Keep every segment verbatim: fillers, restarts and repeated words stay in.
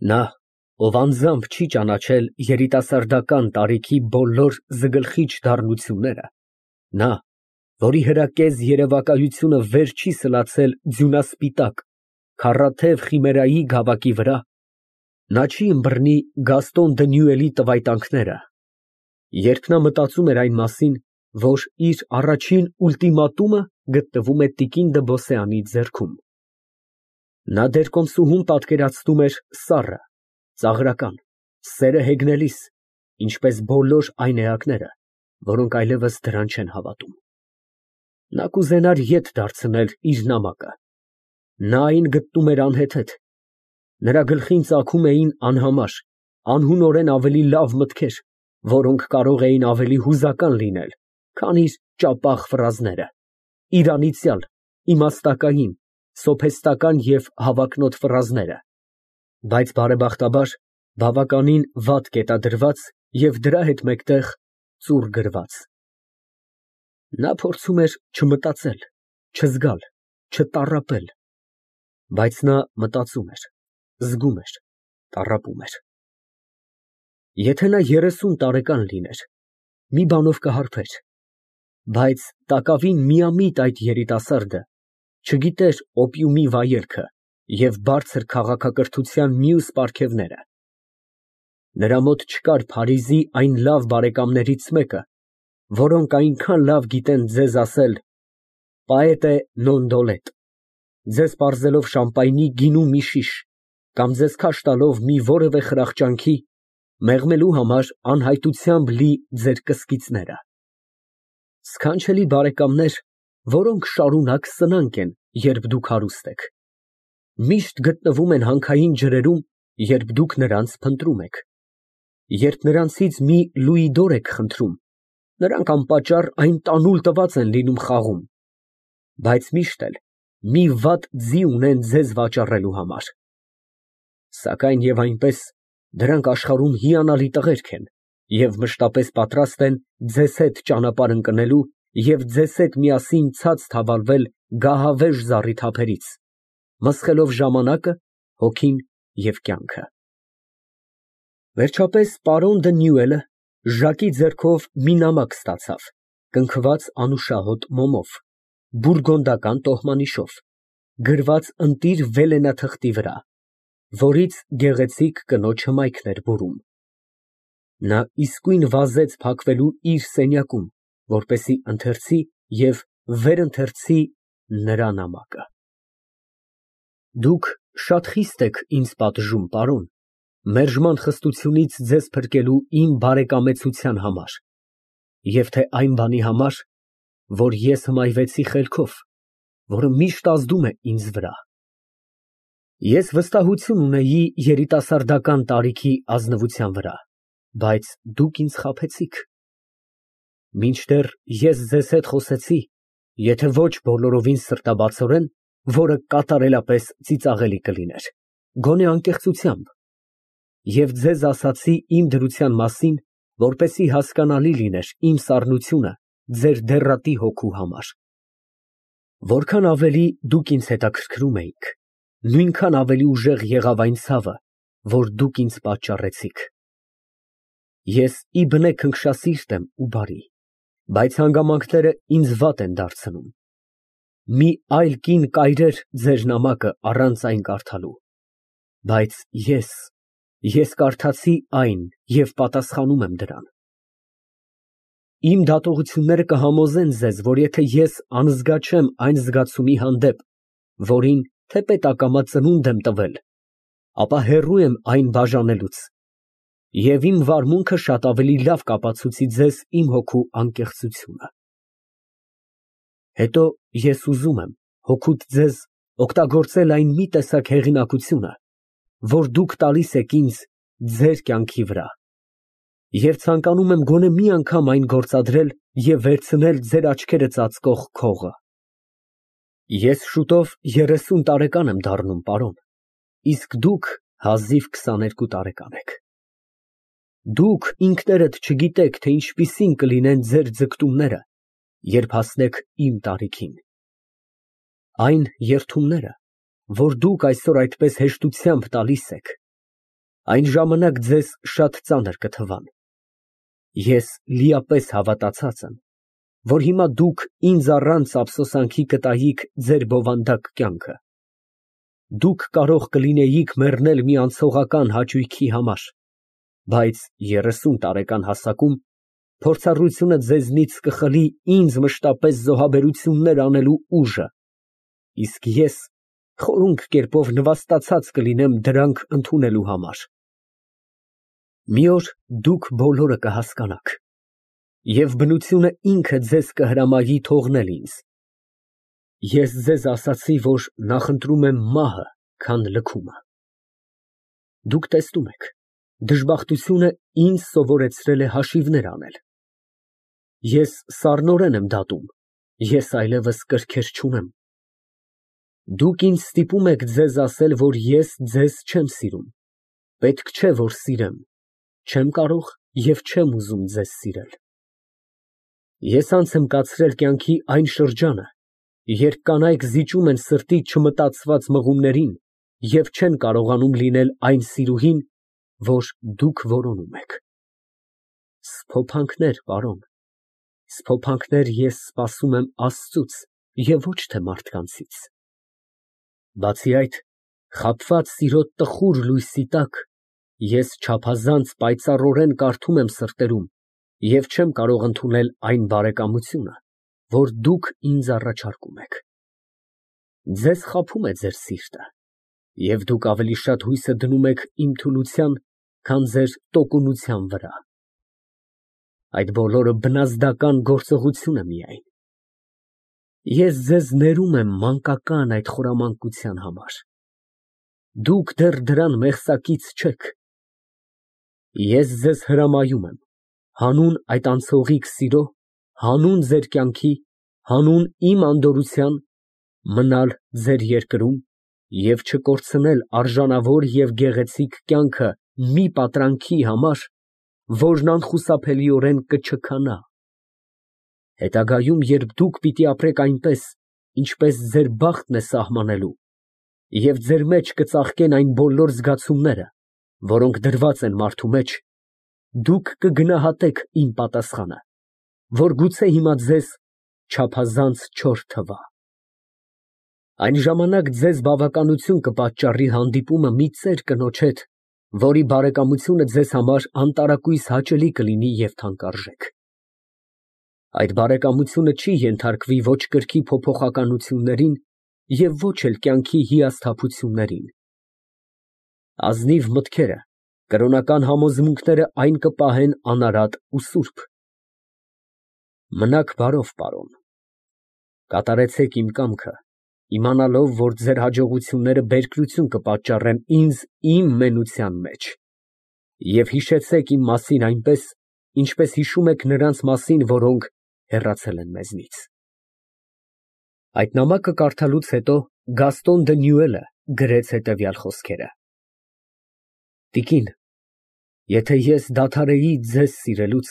Նա, ով անձամբ չի ճանաչել երիտասարդական տարիքի բոլոր զգլխիչ դառնությունները, նա, որի հրակեզ երևակայությունը վեր չի սլացել ձյունասպիտակ, քառաթև խիմերայի գավակի վրա, նա չի ըմբռնի Գաստոն Դնյուելի տվայտանքները, երբ նա մտածում էր այն մասին, որ իր առաջին ուլտիմատումը գտնվում է տիկին Դըբոսեանի ձեռքում։ Նա դեռ կոմսուհուն պատկերացնում էր սառը, ծաղրական, սերը հեգնելիս, ինչպես բոլոր այն էակները, որոնք այլևս դրան չեն հավատում։ Նա կուզենար ետ դարձնել իր նամակը։ Նա այն գտնում էր անհեթեթ։ Նրա գլխին ծագում էին անհամար, անհունորեն ավելի լավ մտքեր, որոնք կարող էին ավելի հուզական լինել, քան իր ճապաղ ֆրազները, իր անիծյալ, իմաստակային, սոփեստական և հավակնոտ ֆրազները, բայց բարեբախտաբար բավականին վատ կետադրված և դրա հետ մեկտեղ ծուռ գրված։ Նա փորձում էր չմտածել, չզգալ, չտառապել, բայց նա մտածում էր, զգում էր, տառապում էր։ Եթե նա երեսուն տարեկան լիներ, մի բանով կհարբեր, բայց տակավին միամիտ այդ երիտասարդը չգիտեր օպիումի վայելքը և բարձր քաղաքակրթության մյուս պարգևները։ Նրա մոտ չկար Փարիզի այն լավ բարեկամներից մեկը, որոնք այնքան լավ գիտեն ձեզ ասել «պաետե նոն դոլետ», ձեզ պարզելով շամպայնի գինու մի շիշ կամ ձեզ քաշ տալով մի որևէ խրախճանքի, մեղմելու համար անհայտությամբ լի ձեր կսկիծները։ Սքանչելի բարեկամներ, որոնք շարունակ սնանկ են, երբ դուք հարուստ եք, միշտ գտնվում են հանքային ջրերում, երբ դուք նրանց փնտրում եք։ Երբ նրանցից մի լուիդոր եք խնդրում, նրանք անպատճառ այն տանուլ տված են լինում խաղում, բայց միշտ էլ մի վատ ձի ունեն ձեզ վաճառելու համար։ Սակայն և այնպես, դրանք աշխարհում հիանալի տղերք են և մշտապես պատրաստ են ձեզ հետ ճանապարհ ընկնելու և ձեզ հետ միասին ցած թավալվել գահավեժ զառի թափերից, մսխելով ժամանակը, հոգին և կյանքը։ Վերջապես պարոն Դնյուելը Ժակի ձեռքով մի նամակ ստացավ, կնքված անուշահոտ մոմով, բուրգունդական տոհմանիշով, գրված ընտիր վելենաթղթի վրա, որից գեղեցիկ կնոջ հմայքն էր բուրում։ Նա իսկույն վազեց փակվելու իր սենյակում, որպեսզի ընթերցի և վերընթերցի նրա նամակը։ Դուք շատ խիստ եք ինձ պատժում, պարոն, մերժման խստությունից ձեզ փրկելու իմ բարեկամեցության համար, և թե այն բանի համար, որ ես հմայվեցի խելքով, որը միշտ ազդում է ինձ վրա։ Ես վստահություն ունեի երիտասարդական տարիքի ազնվության վրա, բայց դուք ինձ խաբեցիք։ Մինչդեռ ես ձեզ հետ խոսեցի, եթե ոչ բոլորովին սրտաբացորեն, որը կատարելապես ծիծաղելի կլիներ, գոնե անկեղծությամբ, և ձեզ ասացի իմ դրության մասին, որպեսզի հասկանալի լիներ իմ սառնությունը ձեր դեռատի հոգու համար։ Որքան ավելի դուք ինձ հետաքրքրում էիք, նույնքան ավելի ուժեղ եղավ այն ցավը, որ դուք ինձ պատճառեցիք։ Ես ի բնե քնքշասիրտ եմ ու բարի, բայց հանգամանքները ինձ վատ են դարձնում։ Մի այլ կին կայրեր ձեր նամակը առանց այն կարդալու, բայց ես, ես կարդացի այն և պատասխանում եմ դրան։ Իմ դատողությունները կհամոզեն ձեզ, որ եթե ես անզգա չեմ այն զգացումի հանդեպ, որին թեպետ ակամա ծնունդ եմ տվել, ապա հեռու եմ այն բաժանելուց, և իմ վարմունքը շատ ավելի լավ կապացուցի ձեզ իմ հոգու անկեղծությունը։ Հետո ես ուզում եմ հօգուտ ձեզ օգտագործել այն մի տեսակ հեղինակությունը, որ դուք տալիս եք ինձ ձեր կյանքի վրա, և ցանկանում եմ գոնե մի անգամ այն գործադրել և վերցնել ձեր աչքերը ծածկող քողը։ Ես շուտով երեսուն տարեկան եմ դառնում, պարոն, իսկ դուք հազիվ քսաներկու տարեկան եք։ Դուք ինքներդ չգիտեք, թե ինչպիսին կլինեն ձեր ձգտումները, երբ հասնեք իմ տարիքին։ Այն երդումները, որ դուք այսօր այդպես հեշտությամբ տալիս եք, Այն ժամանակ ձեզ շատ ծանր կթվան։ Ես լիապես հավատացած եմ, որ հիմա դուք ինձ առանց ափսոսանքի կտայիք ձեր բովանդակ կյանքը։ Դուք կարող կլինեիք մեռնել մի անցողական հաճույքի համար, բայց երեսուն տարեկան հասակում փորձառությունը ձեզնից կխլի ինձ մշտապես զոհաբերություններ անելու ուժը, իսկ ես խորունկ կերպով նվաստացած կլինեմ դրանք ընդունելու համար։ Մի օր դուք բոլորը կհասկանաք, և բնությունը ինքը ձեզ կհրամայի թողնել ինձ։ Ես ձեզ ասացի, որ նախընտրում եմ մահը, քան լքումը։ Դուք տեսնում եք, դժբախտությունը ինձ սովորեցրել է հաշիվներ անել։ Ես սառնորեն եմ դատում, ես այլևս կրքեր չունեմ։ Դուք ինձ ստիպում եք ձեզ ասել, որ ես ձեզ չեմ սիրում, պետք չէ, որ սիրեմ, չեմ կարող և չեմ ուզում ձեզ սիրել։ Ես անց եմ կացրել կյանքի այն շրջանը, երբ կանայք զիջում են սրտի չմտածված մղումներին և չեն կարողանում լինել այն սիրուհին, որ դուք որոնում եք։ Սփոփանքներ, պարոն, սփոփանքներ ես սպասում եմ Աստծուց և ոչ թե մարդկանցից։ Բացի այդ, խաբված սիրո տխուր լույսի տակ ես չափազանց պայծառորեն կարդում եմ սրտերում և չեմ կարող ընդունել այն բարեկամությունը, որ դուք ինձ առաջարկում եք։ Ձեզ խաբում է ձեր սիրտը, և դուք ավելի շատ հույսը դնում եք իմ թուլության, քան ձեր տոկունության վրա։ Այդ բոլորը բնազդական գործողություն է միայն։ Ես ձեզ ներում եմ մանկական այդ խորամանկության համար։ Դուք դեռ դրան մեղսակից չեք։ Ես ձեզ հրամայում եմ, հանուն այդ անցողիկ սիրո, հանուն ձեր կյանքի, հանուն իմ անդորրության, մնալ ձեր երկրում և չկորցնել արժանավոր և գեղեցիկ կյանքը մի պատրանքի համար, որն անխուսափելիորեն կչքանա։ Հետագայում, երբ դուք պիտի ապրեք այնպես, ինչպես ձեր բախտն է սահմանելու, և ձեր մեջ կծաղկեն այն բոլոր զգացումները, որոնք դրված են մարդու մեջ, դուք կգնահատեք իմ պատասխանը, որ գուցե հիմա ձեզ չափազանց չոր թվա։ Այն ժամանակ ձեզ բավականություն կպատճառի հանդիպումը մի ծեր կնոջ հետ, որի բարեկամությունը ձեզ համար անտարակույս հաճելի կլինի և թանկարժեք։ Այդ բարեկամությունը չի ենթարկվի ոչ կրքի փոփոխություններին և ոչ էլ կյանքի հիասթափություններին։ Ազնիվ մտքերը, կրոնական համոզմունքները այն կպահեն անարատ ու սուրբ։ Մնաք բարով, պարոն, կատարեցեք իմ կամքը, իմանալով, որ ձեր հաջողությունները բերկրություն կպատճառեն ինձ իմ մենության մեջ, և հիշեցեք իմ մասին այնպես, ինչպես հիշում եք նրանց մասին, որոնք հեռացել են մեզնից։ Այդ նամակը կարդալուց հետո Գաստոն դը Նյուելը գրեց հետևյալ խոսքերը. Տիկին, եթե ես դադարեի ձեզ սիրելուց,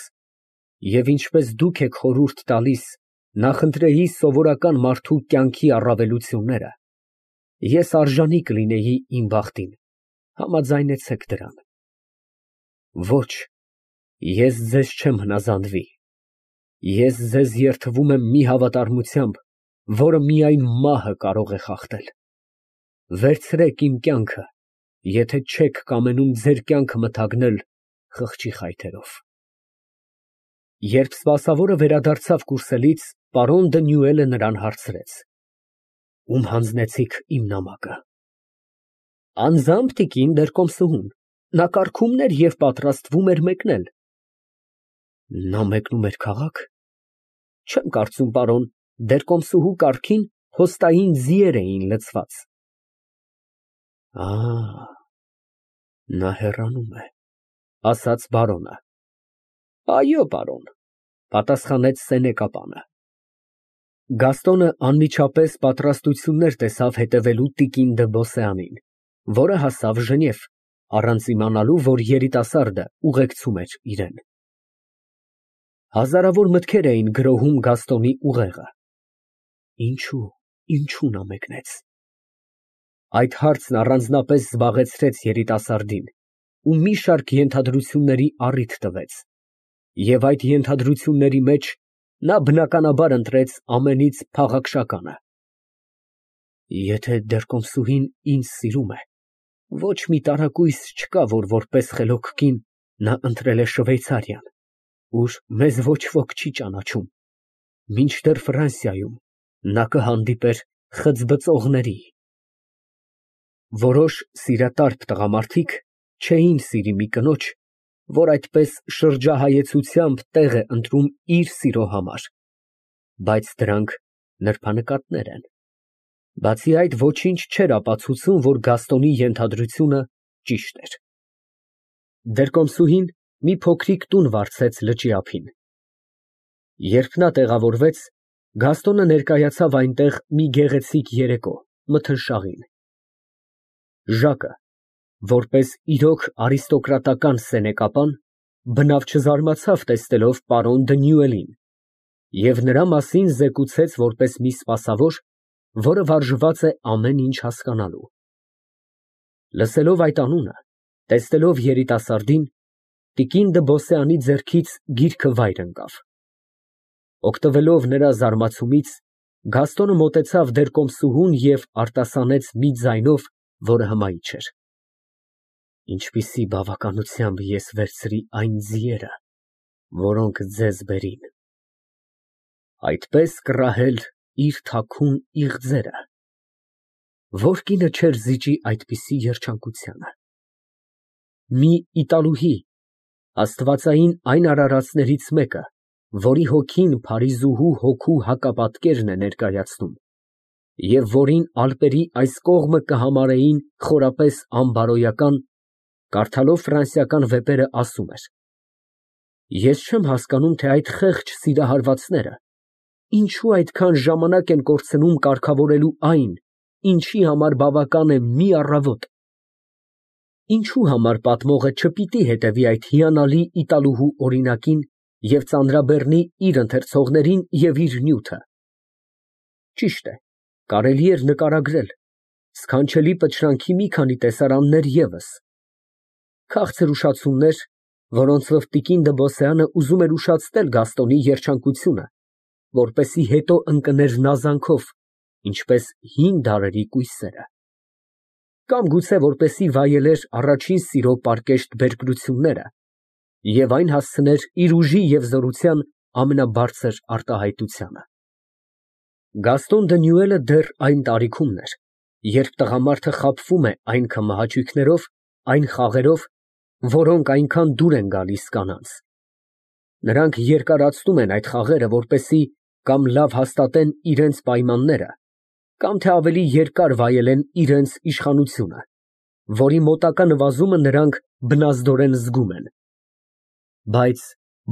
և ինչպես դուք եք խորհուրդ տալիս, նախընտրեի սովորական մարդու կյանքի առավելությունները, ես արժանի կլինեի իմ բախտին, համաձայնեցեք դրան։ Ոչ, ես ձեզ չեմ հնազանդվի, ես ձեզ երդվում եմ մի հավատարմությամբ, որը միայն մահը կարող է խախտել։ Վերցրեք իմ կյանքը, եթե չեք կամենում ձեր կյանքը մթագնել խղճի խայթերով։ Երբ սպասավորը վերադարձավ կուրսելից, պարոն դը Նյուելը նրան հարցրեց. Ում հանձնեցիք իմ նամակը։ Անձամբ տիկին դերկոմսուհուն, նա կարգումն էր և պատրաստվում էր մեկնել։ Նա մեկնում էր քաղաք։ Չեմ կարծում, պարոն, դերկոմսուհու կառքին հոստային ձիեր էին լցված։ Ա, նա հեռանում է, ասաց բարոնը։ Այո, պարոն, պատասխանեց սենեկապանը։ Գաստոնը անմիջապես պատրաստություններ տեսավ հետևելու տիկին դը Բոսեանին, որը հասավ Ժնև, առանց իմանալու, որ երիտասարդը ուղեկցում էր իրան։ Հազարավոր մտքեր էին գրոհում Գաստոնի ուղեղը։ Ինչո՞ւ, ինչո՞ւ նա մեկնեց։ Այդ հարցն առանձնապես զբաղեցրեց երիտասարդին, ու մի շարք ենթադրությունների առիթ տվեց, և այդ ենթադրությունների մեջ նա բնականաբար ընտրեց ամենից փաղաքշականը. «Եթե դեռ կոմսուհին ինձ սիրում է, ոչ մի տարակույս չկա, որ որպես խելոք կին նա ընտրել է Շվեյցարիան, ուր մեզ ոչ ոք չի ճանաչում, մինչդեռ Ֆրանսիայում նա կհանդիպեր խծբծողների»։ Որոշ սիրատարբ տղամարդիկ չէին սիրի մի կնոջ, որ այդպես շրջահայեցությամբ տեղ է ընտրում իր սիրո համար, բայց դրանք նրբանկատներ են։ Բացի այդ, ոչինչ չէր ապացուցում, որ Գաստոնի ենթադրությունը ճիշտ էր։ Դեռկոմսուհին մի փոքրիկ տուն վարձեց լճի ափին։ Երբ նա տեղավորվեց, Գաստոնը ներկայացավ այնտեղ մի գեղեցիկ երեկո, մթնշաղին։ Ժակը, որպես իրոք արիստոկրատական սենեկապան, բնավ չզարմացավ տեսնելով պարոն Դնյուելին և նրա մասին զեկուցեց որպես մի սպասավոր, որը վարժված է ամեն ինչ հասկանալու։ Լսելով այդ անունը, տեսնելով երիտասարդին, տիկին Դ'Բոսեանի ձեռքից գիրքը վայր ընկավ։ Օգտվելով նրա զարմացումից, Գաստոնը մոտեցավ դեռկոմսուհուն և արտասանեց մի ձայնով, որը հմայիչ էր. «Ինչպիսի բավականությամբ ես վերցրի այն ձիերը, որոնք ձեզ բերին։ Այդպես կռահել իր թաքուն իղձերը։ Ո՞ր կինը չէր զիջի այդպիսի երջանկությանը։ Մի իտալուհի, աստվածային այն արարածներից մեկը, որի հոգին Փարիզուհու հոգու հակապատկերն է ներկայացնում, և որին ալպերի այս կողմը կհամարեին խորապես անբարոյական, կարդալով ֆրանսիական վեպերը, ասում էր. «Ես չեմ հասկանում, թե այդ խեղճ սիրահարվածները ինչու այդքան ժամանակ են կորցնում կարգավորելու այն, ինչի համար բավական է մի առավոտ։ Ինչու համար պատմողը չպիտի հետևի այդ հիանալի իտալուհու օրինակին և ծանրաբեռնի իր ընթերցողներին և իր նյութը։ Ճիշտ է, կարելի էր նկարագրել, սքանչելի պտրանքի մի քանի տեսարաններ ևս, քաղցր ուշացումներ, որոնցով տիկին Դ'Բոսեանը ուզում էր ուշացնել Գաստոնի երջանկությունը, որպեսզի հետո ընկներ նազանքով, ինչպես հին դարերի կույսերը, կամ գուցե որպեսզի վայելեր առաջին սիրո պարկեշտ բերկրությունները և այն հասցներ իր ուժի և զորության ամենաբարձր արտահայտությանը։ Գաստոն Դնյուելը դեռ այն տարիքումն էր, երբ տղամարդը խաբվում է այն քմահաճույքներով, այն խաղերով, որոնք այնքան դուր են գալիս կանանց։ Նրանք երկարացնում են այդ խաղերը, որպեսզի կամ լավ հաստատեն իրենց պայմանները, կամ թե ավելի երկար վայելեն իրենց իշխանությունը, որի մոտակա նվազումը նրանք բնազդորեն զգում են։ Բայց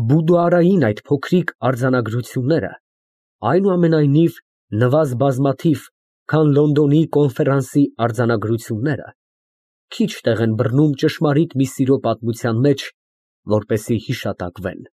բուդուարային այդ փոքրիկ արձանագրությունները, այնուամենայնիվ, նվազ բազմաթիվ, քան Լոնդոնի կոնֆերանսի արձանագրությունները, քիչ տեղ են բռնում ճշմարիտ մի սիրո պատմության մեջ, որպեսզի հիշատակվեն։